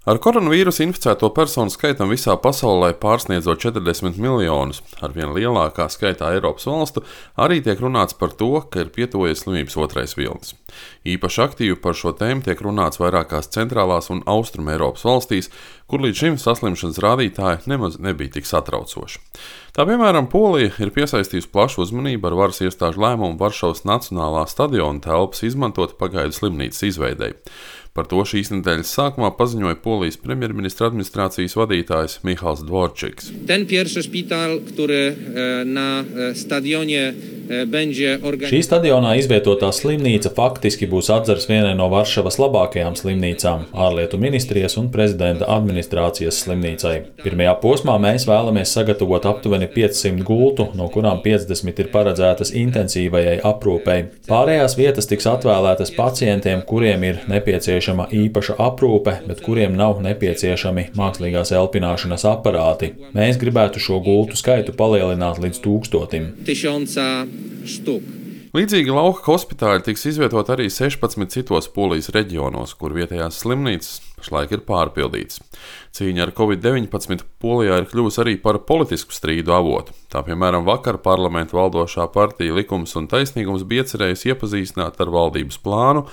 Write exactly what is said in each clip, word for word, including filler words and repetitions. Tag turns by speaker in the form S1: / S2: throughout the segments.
S1: Ar koronavīrusu inficēto personu skaitam visā pasaulē pārsniedzot četrdesmit miljonus, ar vien lielākā skaitā Eiropas valstu, arī tiek runāts par to, ka ir pietuvojies slimības otrais vilnis. Īpaši aktīvi par šo tēmu tiek runāts vairākās centrālās un austrumu Eiropas valstīs, kur līdz šim saslimšanas rādītāji nemaz nebija tik satraucoši. Tā piemēram, Polija ir piesaistījusi plašu uzmanību ar varas iestāžu lēmumu Varšavas Nacionālā stadiona telpas izmantot pagaidu slimnīcas izveidei. Par to šīs nedēļas sākumā paziņoja Polijas premjerministra administrācijas vadītājs Michals Dvorčiks.
S2: Šī stadionā izvietotā slimnīca faktiski būs atzars vienai no Varšavas labākajām slimnīcām - ārlietu ministrijas un prezidenta administrācijas slimnīcai. Pirmajā posmā mēs vēlamies sagatavot aptuveni piecsimt gultu, no kurām piecdesmit ir paredzētas intensīvajai aprūpei. Pārējās vietas tiks atvēlētas pacientiem, kuriem ir nepieciešama īpaša aprūpe, bet kuriem nav nepieciešami mākslīgās elpināšanas aparāti. Mēs gribētu šo gultu skaitu palielināt līdz tūkstotim.
S1: Līdzīgi lauka hospitāļi tiks izvietot arī sešpadsmit citos Polijas reģionos, kur vietējās slimnīcas pašlaik ir pārpildītas. Cīņa ar covid deviņpadsmit Polijā ir kļuvusi arī par politisku strīdu avotu. Tā piemēram vakar parlamentu valdošā partija Likums un taisnīgums bija iecerējusi iepazīstināt ar valdības plānu,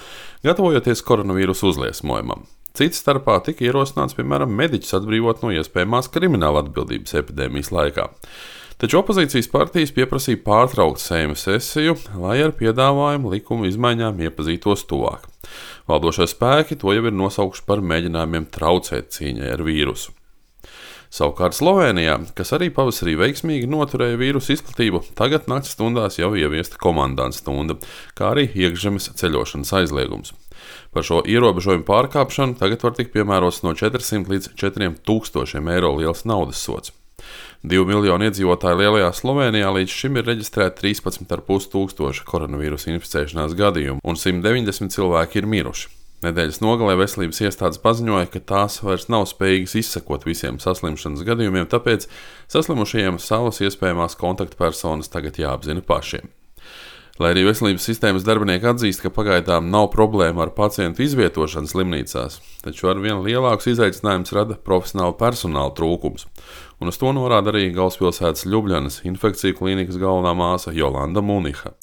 S1: gatavojoties koronavīrusu uzliesmojumam. Cits starpā tika ierosināts, piemēram, mediķus atbrīvot no iespējamās krimināla atbildības epidēmijas laikā. Taču opozīcijas partijas pieprasīja pārtraukt Seimas sesiju, lai ar piedāvājumu likumu izmaiņām iepazītos tuvāk. Valdošie spēki to jau ir nosaukuši par mēģinājumiem traucēt cīņai ar vīrusu. Savukārt Slovēnijā, kas arī pavasarī veiksmīgi noturēja vīrusu izplatību, tagad nakts stundās jau ieviesta komandanta stunda, kā arī iekšzemes ceļošanas aizliegums. Par šo ierobežojumu pārkāpšanu tagad var tikt piemērots no četrsimt līdz četriem tūkstošiem eiro liels naudas sods. Divu miljonu iedzīvotāju lielajā Slovēnijā līdz šim ir reģistrēti trīspadsmit ar pus tūkstoši koronavīrusa inficēšanās gadījumu, un simt deviņdesmit cilvēki ir miruši. Nedēļas nogalē veselības iestādes paziņoja, ka tās vairs nav spējīgas izsekot visiem saslimšanas gadījumiem, tāpēc saslimušajiem savas iespējamās kontaktpersonas tagad jāapzina pašiem. Lai arī veselības sistēmas darbinieki atzīst, ka pagaidām nav problēma ar pacientu izvietošanu slimnīcās, taču ar vien lielākus izaicinājumus rada profesionāla personāla trūkums. Un uz to norāda arī galvaspilsētas Ljubljanas infekciju klīnikas galvenā māsa Jolanda Muniha.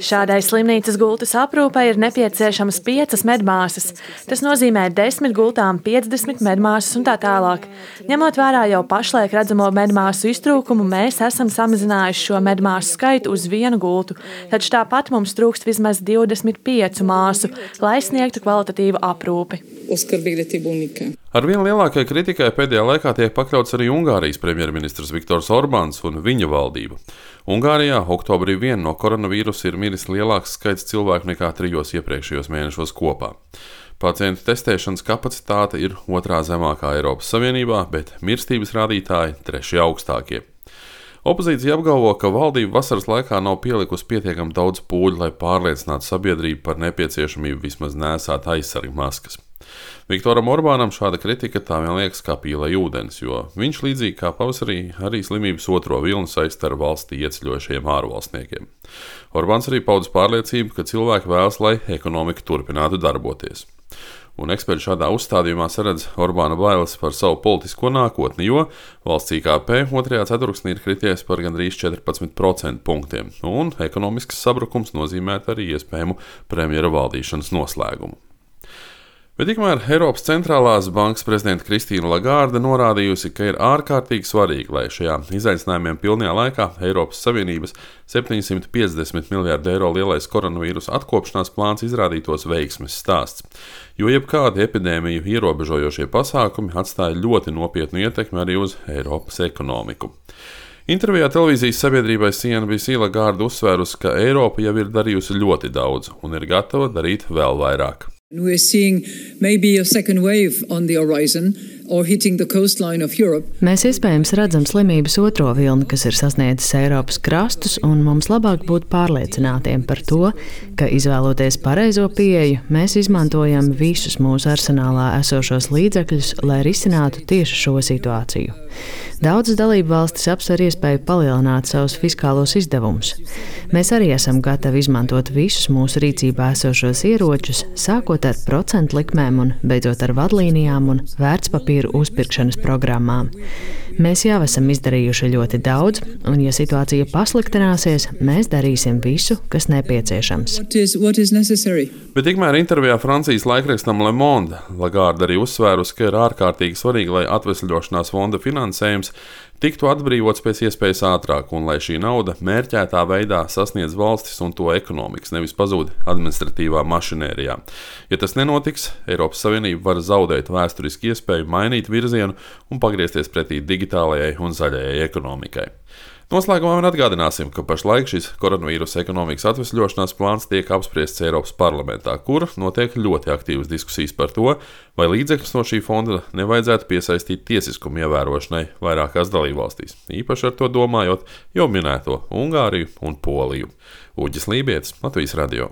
S3: Šādai slimnīcas gultas aprūpei ir nepieciešamas piecas medmāsas. Tas nozīmē desmit gultām, piecdesmit medmāsas un tā tālāk. Ņemot vērā jau pašlaik redzamo medmāsu iztrūkumu, mēs esam samazinājuši šo medmāsu skaitu uz vienu gultu, taču tāpat mums trūkst vismaz divdesmit piecu māsu, lai sniegtu kvalitatīvu aprūpi.
S1: Ar vien lielākai kritikai pēdējā laikā tiek pakļauts arī Ungārijas premjerministrs Viktors Orbāns un viņa valdība. Ungārijā oktobrī vien no koronavīrusa ir miris lielāks skaits cilvēku nekā trijos iepriekšējos mēnešos kopā. Pacientu testēšanas kapacitāte ir otrā zemākā Eiropas Savienībā, bet mirstības rādītāji trešie augstākie. Opozīcija apgalvo, ka valdība vasaras laikā nav pielikusi pietiekami daudz pūļu, lai pārliecinātu sabiedrību par nepieciešamību vismaz nēsāt aizsargu maskas. Viktoram Orbānam šāda kritika tā vien liekas kā pīlai ūdens, jo viņš līdzīgi kā pavasarī arī slimības otro vilni saista ar valstī ieceļojušajiem ārvalstniekiem. Orbāns arī paudis pārliecību, ka cilvēki vēlas, lai ekonomika turpinātu darboties. Un eksperti šādā uzstādījumā saredz Orbāna bailes par savu politisko nākotni, jo valsts I K P otrajā ceturksnī ir krities par gandrīz četrpadsmit procentu punktiem, un ekonomisks sabrukums nozīmētu arī iespējamu premjera valdīšanas noslēgumu. Bet tikmēr Eiropas centrālās bankas prezidenta Kristīna Lagarde norādījusi, ka ir ārkārtīgi svarīgi, lai šajā izaicinājumiem pilnajā laikā Eiropas Savienības septiņsimt piecdesmit miljārdu eiro lielais koronavīrusa atkopšanās plāns izrādītos veiksmes stāsts, jo jebkādi epidēmiju ierobežojošie pasākumi atstāja ļoti nopietnu ietekmi arī uz Eiropas ekonomiku. Intervijā televīzijas sabiedrībai C N B C Lagarde uzsvērusi, ka Eiropa jau ir darījusi ļoti daudz un ir gatava darīt vēl vairāk.
S4: We're seeing maybe a second wave on the horizon or hitting the coastline of Europe.
S5: Mēs iespējams redzam slimības otro vilni, kas ir sasniedzis Eiropas krastus, un mums labāk būt pārliecinātiem par to, ka izvēloties pareizo pieeju, mēs izmantojam visus mūsu arsenālā esošos līdzekļus, lai risinātu tieši šo situāciju. Daudzas dalību valstis apsver iespēju palielināt savus fiskālos izdevumus. Mēs arī esam gatavi izmantot visus mūsu rīcībā esošos ieročus, sākot ar procentu likmēm un beidzot ar vadlīnijām un vērtspapīru uzpirkšanas programmām. Mēs jau esam izdarījuši ļoti daudz, un, ja situācija pasliktināsies, mēs darīsim visu, kas nepieciešams.
S4: What is, what is necessary?
S1: Bet tikmēr intervijā Francijas laikrakstam Le Monde Lagarde arī uzsvērusi, ka ir ārkārtīgi svarīgi, lai atvesļošanās fonda finansējums tiktu atbrīvots pēc iespējas ātrāk, un lai šī nauda mērķētā veidā sasniedz valstis un to ekonomikas, nevis pazūd administratīvā mašinērijā. Ja tas nenotiks, Eiropas Savienība var zaudēt vēsturiski iespēju mainīt virzienu un pagriezties pretī digitālajai un zaļajai ekonomikai. Noslēgumā vien atgādināsim, ka pašlaik šis koronavīrusa ekonomikas atvesļošanās plāns tiek apspriests Eiropas parlamentā, kur notiek ļoti aktīvas diskusijas par to, vai līdzekļus no šī fonda nevajadzētu piesaistīt tiesiskumu ievērošanai vairākās dalībvalstīs, īpaši ar to domājot jau minēto Ungāriju un Poliju. Uģis Lībietis, Latvijas radio.